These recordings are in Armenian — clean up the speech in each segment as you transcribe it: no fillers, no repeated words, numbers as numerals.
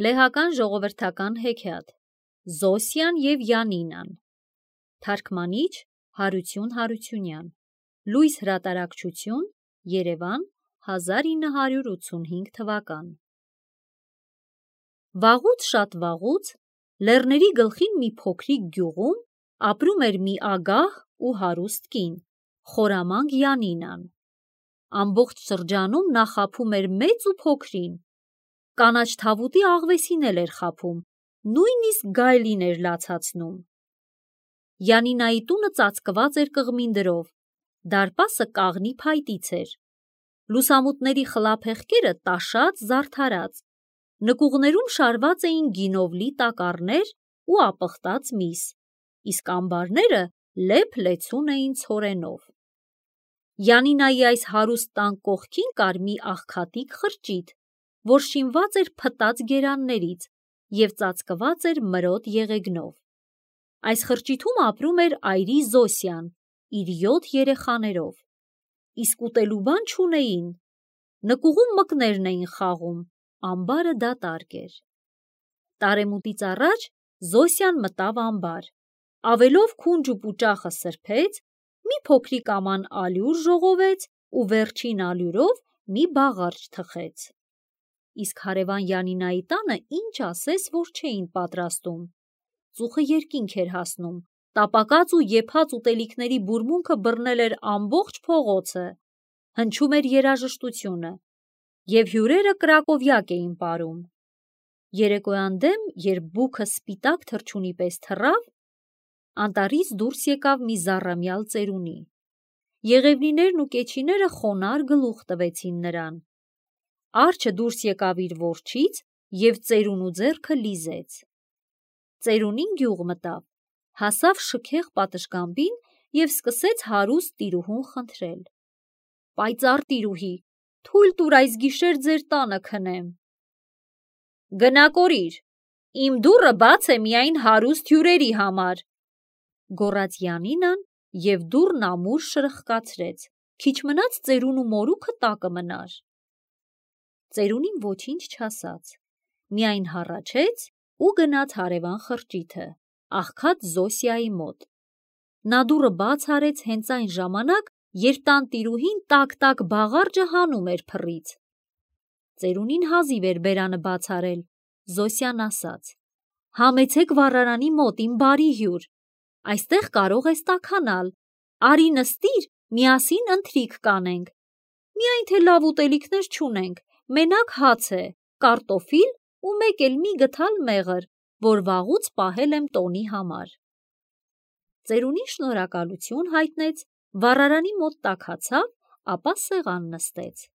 Լեհական ժողովրդական հեքիաթ Զոսյան և Յանինան Թարգմանիչ Հարություն Հարությունյան Լույս հրատարակչություն Երևան 1985 թվական Վաղուց շատ վաղուց լեռների գլխին մի փոքրիկ գյուղում ապրում էր մի ագահ ու հարուստ կին, խորամանկ Յանինան։ Ամբողջ շրջանում նա խաբում էր մեծ ու փոքրին, կանաչ թավուտի աղվեսին էլ էր խաբում, նույնիսկ գայլին էր լացացնում։ Յանինայի տունը ծածկված էր կղմինդրով, դարպասը կաղնի փայտից էր, լուսամուտների խլափեղկերը տաշած, զարդարած, նկուղներում շարված էին գինով լի տակառներ ու ապխտած միս, իսկ ամբարները լեփ-լեցուն էին ցորենով։ Յանինայի այս հարուստ տան կողքին կար մի աղքատիկ խրճիթ, որ շինված էր փտած գերաններից և ծածկված էր մրոտ եղեգնով։ Այս խրճիթում ապրում էր այրի Զոսյան իր 7 երեխաներով, իսկ ուտելու բան չունեին, նկուղում մկներն էին խաղում, ամբարը դատարկ էր։ Տարեմուտից առաջ Զոսյան մտավ ամբար, ավելով քունջ ու պուճախը սրբեց, մի փոքրիկ աման ալյուր ժողովեց ու վերջին ալյուրով մի բաղարջ թխեց։ Իսկ հարևան Յանինայի տանը ինչ ասես, որ չէին պատրաստում։ Ծուխը երկինք էր հասնում, տապակած ու եփած ուտելիքների բուրմունքը բռնել էր ամբողջ փողոցը, հնչում էր երաժշտությունը, և հյուրերը կրակովյակ էին պարում։ Երեկոյան դեմ, երբ բուքը սպիտակ թռչունի պես թռավ, անտառից դուրս եկավ մի զառամյալ ծերունի։ Եղևնիներն ու կեչիները խոնարհ գլուխ տվեցին նրան։ Արջը դուրս եկավ իր որջից և ծերունու ձեռքը լիզեց։ Ծերունին գյուղ մտավ, հասավ շքեղ պատշգամբին և սկսեց հարուստ տիրուհուն խնդրել. «Պայծառ տիրուհի, թույլ տուր այս գիշեր ձեր տանը քնեմ»։ «Գնա կորիր, իմ դուռը բաց է միայն հարուստ հյուրերի համար», գոռաց Յանինան և դուռն ամուր շրխկացրեց, քիչ մնաց ծերունու մորուքը տակը մնար։ Ծերունին ոչինչ չասաց, միայն հառաչեց ու գնաց հարևան խրճիթը, աղքատ Զոսիայի մոտ։ Նա դուռը բաց արեց հենց այն ժամանակ, երբ տանտիրուհին տաք-տաք բաղարջը հանում էր փռից։ Ծերունին հազիվ էր բերանը բաց արել, Զոսյան ասաց. «Համեցեք վառարանի մոտ, իմ բարի հյուր, այստեղ կարող ես տաքանալ, արի նստիր, միասին ընթրիք կանենք, միայն թե լավ ուտելիքներ չունենք, մենակ հաց է, կարտոֆիլ ու մեկ էլ մի գդալ մեղր, որ վաղուց պահել եմ տոնի համար»։ Ծերունին շնորհակալություն հայտնեց, վառարանի մոտ տաքացավ, ապա սեղան նստեց։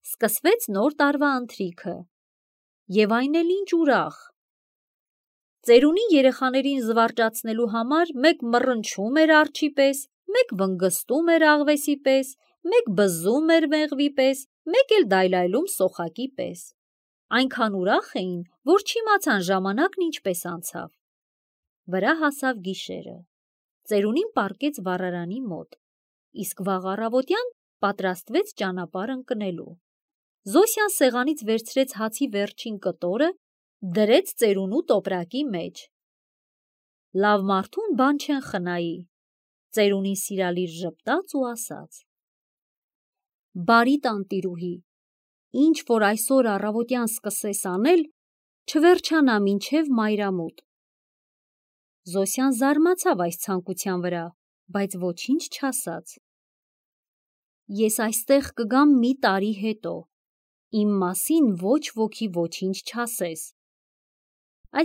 Սկսվեց նոր տարվա ընթրիքը, և այն էլ ինչ ուրախ։ Ծերունին երեխաներին զվարճացնելու համար մեկ մռնչում էր արջի պես, մեկ վնգստում էր աղվեսի պես, մեկ բզզում էր մեղվի պես, մեկ էլ դայլայլում սոխակի պես։ Այնքան ուրախ էին, որ չիմացան ժամանակն ինչպես անցավ։ Վրա հասավ գիշերը։ Ծերունին պառկեց վառարանի մոտ, իսկ վաղ առավոտյան պատրաստվեց ճանապարհ ընկնելու։ Զոսյան սեղանից վերցրեց հացի վերջին կտորը, դրեց ծերունու տոպրակի մեջ։ «Լավ մարդուն բան չեն խնայի», ծերունին սիրալիր ժպտաց ու ասաց. «Բարի տանտիրուհի, ինչ որ այսօր առավոտյան սկսես անել, չվերջանա մինչև մայրամուտ»։ Զոսյան զարմացավ այս ցանկության վրա, բայց ոչինչ չասաց։ «Ես այստեղ կգամ մի տարի հետո, իմ մասին ոչ ոքի ոչինչ չասես»,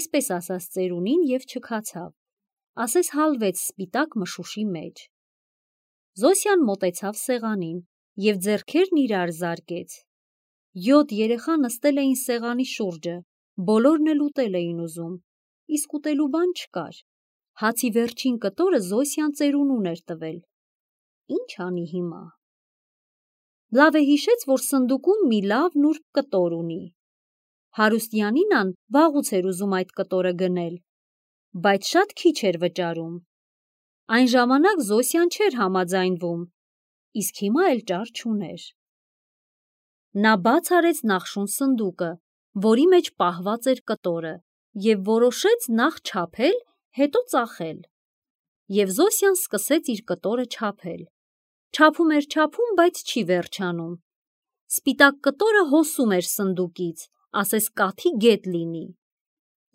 այսպես ասաց ծերունին և չքացավ, ասես հալվեց սպիտակ մշուշի մեջ։ Զոսյան մոտեցավ սեղանին և ձեռքերն իրար զարկեց։ 7 երեխա նստել էին սեղանի շուրջը, բոլորն էլ ուտել էին ուզում, իսկ ուտելու բան չկար։ Հացի վերջին կտորը Զոսյան ծերունուն էր տվել։ Ինչ անի հիմա։ Լավ է հիշեց, որ սնդուկում մի լավ նուրբ կտոր ունի։ Հարուստ Յանինան վաղուց էր ուզում այդ կտորը գնել, բայց շատ քիչ էր վճարում։ Այն ժամանակ Զոսյան չէր համաձայնվում, իսկ հիմա էլ ճար չուներ։ Նա բաց արեց նախշուն սնդուկը որի մեջ պահված էր կտորը, և որոշեց նախ չափել, հետո ծախել։ Եվ Զոսյան սկսեց իր կտորը չափել։ Չափում էր, բայց չի վերջանում։ Սպիտակ կտորը հոսում էր սնդուկից, ասես կաթի գետ լինի։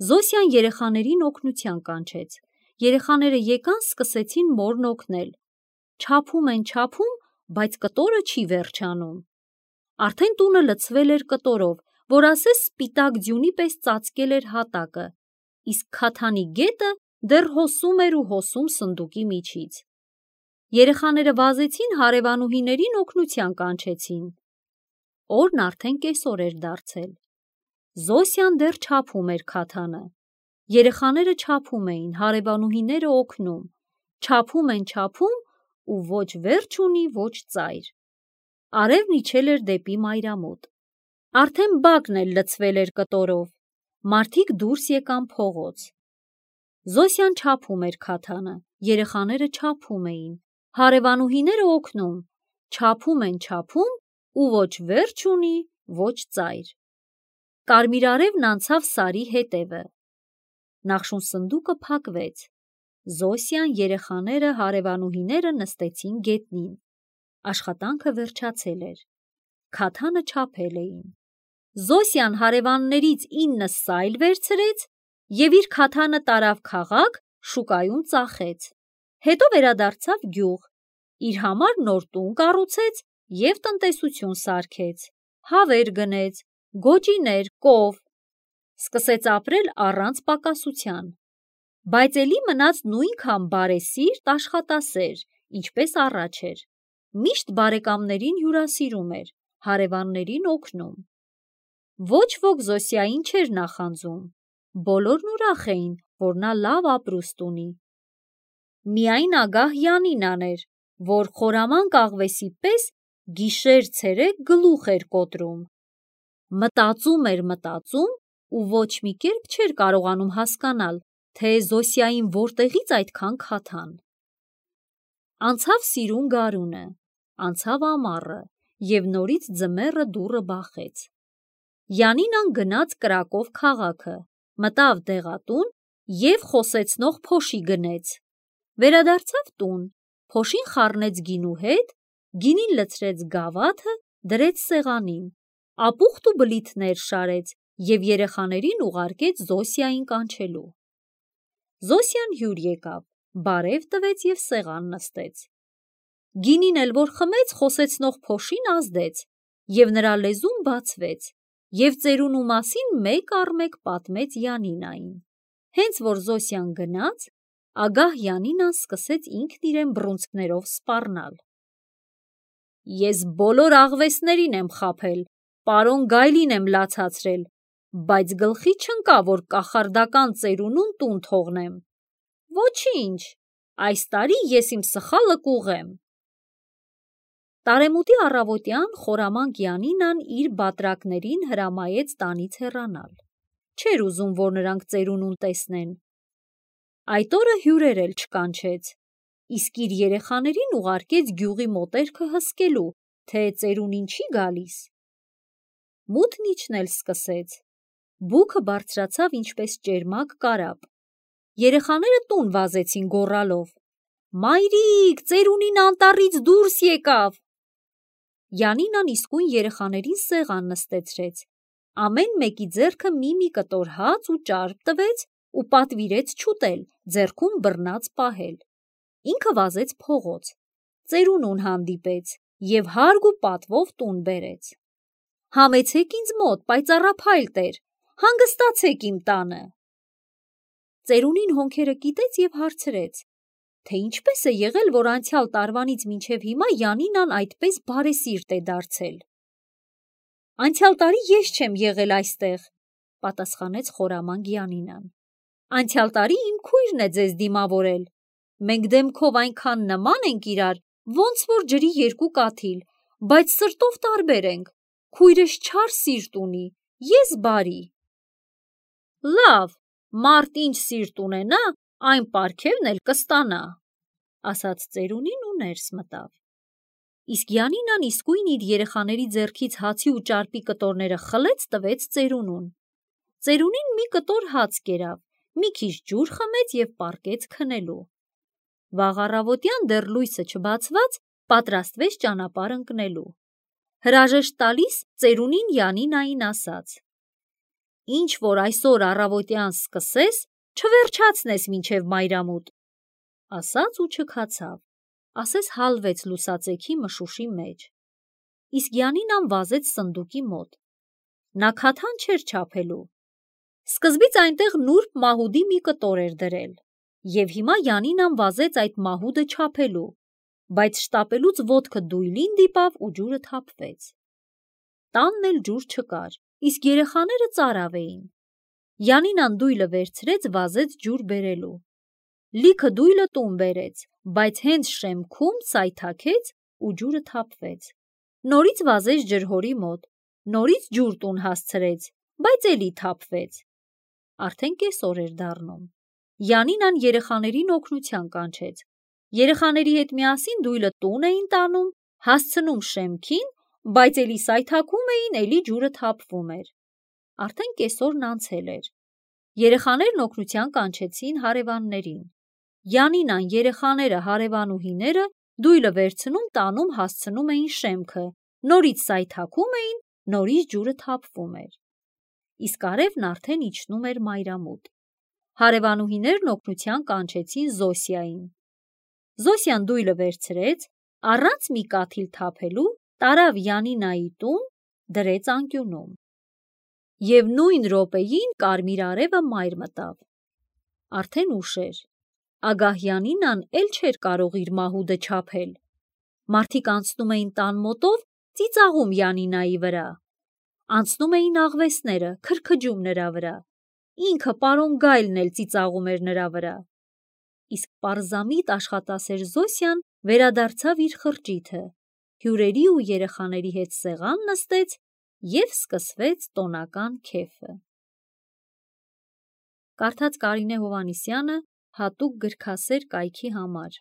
Զոսյան երեխաներին օգնության կանչեց։ Երեխաները եկան, սկսեցին մորն օգնել։ Չափում են, բայց կտորը չի վերջանում։ Արդեն տունը լցվել էր կտորով, որ ասես սպիտակ ձյունի պես ծածկել էր հատակը, իսկ քաթանի գետը դեռ հոսում էր ու հոսում սնդուկի միջից։ Երեխաները վազեցին հարևանուհիներին օգնության կանչեցին։ Օրն արդեն կեսօր էր դարձել։ Զոսյան դեռ չափում էր քաթանը։ Երեխաները չափում էին, հարևանուհիները օգնում։ Չափում են, ու ոչ վերջ ունի, ոչ ծայր։ Արևն իջել էր դեպի մայրամուտ։ Արդեն բակն էլ լցվել էր կտորով։ Մարդիկ դուրս եկան փողոց։ Զոսյան չափում էր քաթանը, երեխաները չափում էին, հարևանուհիները օգնում։ Չափում են, ու ոչ վերջ ունի, ոչ ծայր։ Կարմիր արևն անցավ Սարի հետևը։ Նախշուն սնդուկը փակվեց։ Զոսյան, երեխաները, հարևանուհիները նստեցին գետնին։ Աշխատանքը վերջացել էր։ Քաթանը չափել էին։ Զոսյան հարևաններից 9 սայլ վերցրեց և իր քաթանը տարավ քաղաք, շուկայում ծախեց։ Հետո վերադարձավ գյուղ, իր համար նոր տուն կառուցեց և տնտեսություն սարքեց, հավեր գնեց, գոճիներ, կով։ Սկսեց ապրել առանց պակասության, բայց էլի մնաց նույնքան բարեսիրտ, աշխատասեր, ինչպես առաջ էր։ Միշտ բարեկամներին հյուրասիրում էր, հարևաններին օգնում։ Ոչ ոք Զոսյային չէր նախանձում, բոլորն ուրախ էին, որ նա լավ ապրուստ ունի։ Միայն ագահ Յանինան էր, որ խորամանկ աղվեսի պես գիշեր-ցերեկ գլուխ էր կոտրում։ Մտածում էր ու ոչ մի կերպ չէր կարողանում հասկանալ, թե Զոսյային որտեղից այդքան քաթան։ Անցավ սիրուն գարունը, անցավ ամառը, և նորից ձմեռը դուռը բախեց։ Յանինան գնաց Կրակով քաղաքը, մտավ դեղատուն և խոսեցնող փոշի գնեց։ Վերադարձավ տուն, փոշին խառնեց գինու հետ, գինին լցրեց գավաթը, դրեց սեղանին, ապուխտ ու բլիթներ շարեց և երեխաներին ուղարկեց Զոսյային կանչելու։ Զոսյան հյուր եկավ, բարև տվեց և սեղան նստեց։ Գինին էլ որ խմեց, խոսեցնող փոշին ազդեց, և նրա լեզուն բացվեց, և ծերունու մասին մեկ առ մեկ պատմեց Յանինային։ Հենց որ Զոսյան գնաց, ագահ Յանինան սկսեց ինքն իրեն բռունցքներով սպառնալ։ Ես բոլոր աղվեսներին եմ խաբել, պարոն Գայլին եմ լացացրել, բայց գլխի չընկա, որ կախարդական ծերունուն տուն թողնեմ։ Ոչինչ, այս տարի ես իմ սխալը կուղղեմ։ Տարեմուտի առավոտյան խորամանկ Յանինան իր բատրակներին հրամայեց տանից հեռանալ։ Չէր ուզում, որ նրանք ծերունուն տեսնեն։ Այդ օրը հյուրեր էլ չկանչեց, իսկ իր երեխաներին ուղարկեց գյուղի մոտերքը հսկելու, թե ծերունին չի գալիս։ Մութն իջնել սկսեց։ Բուքը բարձրացավ ինչպես ճերմակ կարապ։ Երեխաները տուն վազեցին գոռալով. «Մայրիկ, ծերունին անտառից դուրս եկավ»։ Յանինան իսկույն երեխաներին սեղան նստեցրեց, ամեն մեկի ձեռքը մի կտոր հաց ու ճարպ տվեց ու պատվիրեց չուտել, ձեռքում բռնած պահել։ Ինքը վազեց փողոց, ծերունուն հանդիպեց և հարգ ու պատվով տուն բերեց։ «Համեցեք ինձ մոտ, պայծառափայլ տեր, հանգստացեք իմ տանը»։ Ծերունին հոնքերը կիտեց և հարցրեց, թե ինչպես է եղել, որ անցյալ տարվանից մինչև հիմա Յանինան այդպես բարեսիրտ է դարձել։ «Անցյալ տարի ես չեմ եղել այստեղ», պատասխանեց խորամանկ Յանինան։ «Անցյալ տարի իմ քույրն է ձեզ դիմավորել։ Մենք դեմքով այնքան նման ենք իրար, ոնց որ ջրի երկու կաթիլ, բայց սրտով տարբեր ենք։ Քույրս չար սիրտ ունի, ես բարի»։ «Լավ, մարդ ինչ սիրտ ունենա, այն պարգևն էլ կստանա», ասաց ծերունին ու ներս մտավ։ Իսկ Յանինան իսկույն իր երեխաների ձեռքից հացի ու ճարպի կտորները խլեց տվեց ծերունուն։ Ծերունին մի կտոր հաց կերավ, մի քիչ ջուր խմեց և պառկեց քնելու։ Վաղ առավոտյան դեռ լույսը չբացված պատրաստվեց ճանապարհ ընկնելու։ Հրաժեշտ տալիս ծերունին Յանինային ասաց. «Ինչ որ այսօր առավոտյան սկսես, չվերջացնես մինչև մայրամուտ»։ Ասաց ու չքացավ, ասես հալվեց լուսածեքի մշուշի մեջ։ Իսկ Յանինան վազեց սնդուկի մոտ։ Նա քաթան չէր չափելու։ Սկզբից այնտեղ նուրբ մահուդի մի կտոր էր դրել, և հիմա Յանինան վազեց այդ մահուդը չափելու, բայց շտապելուց ոտքը դույլին դիպավ ու ջուրը թափվեց։ Տանն էլ ջուր չկար, իսկ երեխաները ծարավ էին։ Յանինան դույլը վերցրեց, վազեց ջուր բերելու։ Լիքը դույլը տուն բերեց, բայց հենց շեմքում սայթաքեց ու ջուրը թափվեց։ Նորից վազեց ջրհորի մոտ, նորից ջուր տուն հասցրեց, բայց էլի թափվեց։ Արդեն կեսօր էր դառնում։ Յանինան երեխաներին օգնության կանչեց։ Երեխաների հետ միասին դույլը տուն էին տանում, հասցնում շեմքին, բայց էլի սայթաքում էին, էլի ջուրը թափվում էր։ Արդեն կեսօրն անցել էր։ Երեխաներն օգնության կանչեցին հարևաններին։ Յանինան, երեխաները, հարևանուհիները դույլը վերցնում, տանում, հասցնում էին շեմքը, նորից սայթաքում էին, նորից ջուրը թափվում էր։ Իսկ արևն արդեն իջնում էր մայրամուտ։ Հարևանուհիներն օգնության կանչեցին Զոսիային։ Զոսյան դույլը վերցրեց, առանց մի կաթիլ թափելու, տարավ Յանինայի տուն, դրեց անկյունում։ Եվ նույն րոպեին կարմիր արևը մայր մտավ։ Արդեն ուշ էր։ Ագահ Յանինան էլ չէր կարող իր մահուդը չափել։ Մարդիկ անցնում էին տան մոտով, ծիծաղում Յանինայի վրա։ Անցնում էին աղվեսները, քրքջում նրա վրա։ Ինքը պարոն Գայլն էլ ծիծաղում էր նրա վրա։ Իսկ պարզամիտ աշխատասեր Զոսյան վերադարձավ իր խրճիթը, հյուրերի ու երեխաների հետ սեղան նստեց և սկսվեց տոնական քեֆը։ Կարդաց Կարինե Հովհաննիսյանը հատուկ գրքասեր կայքի համար։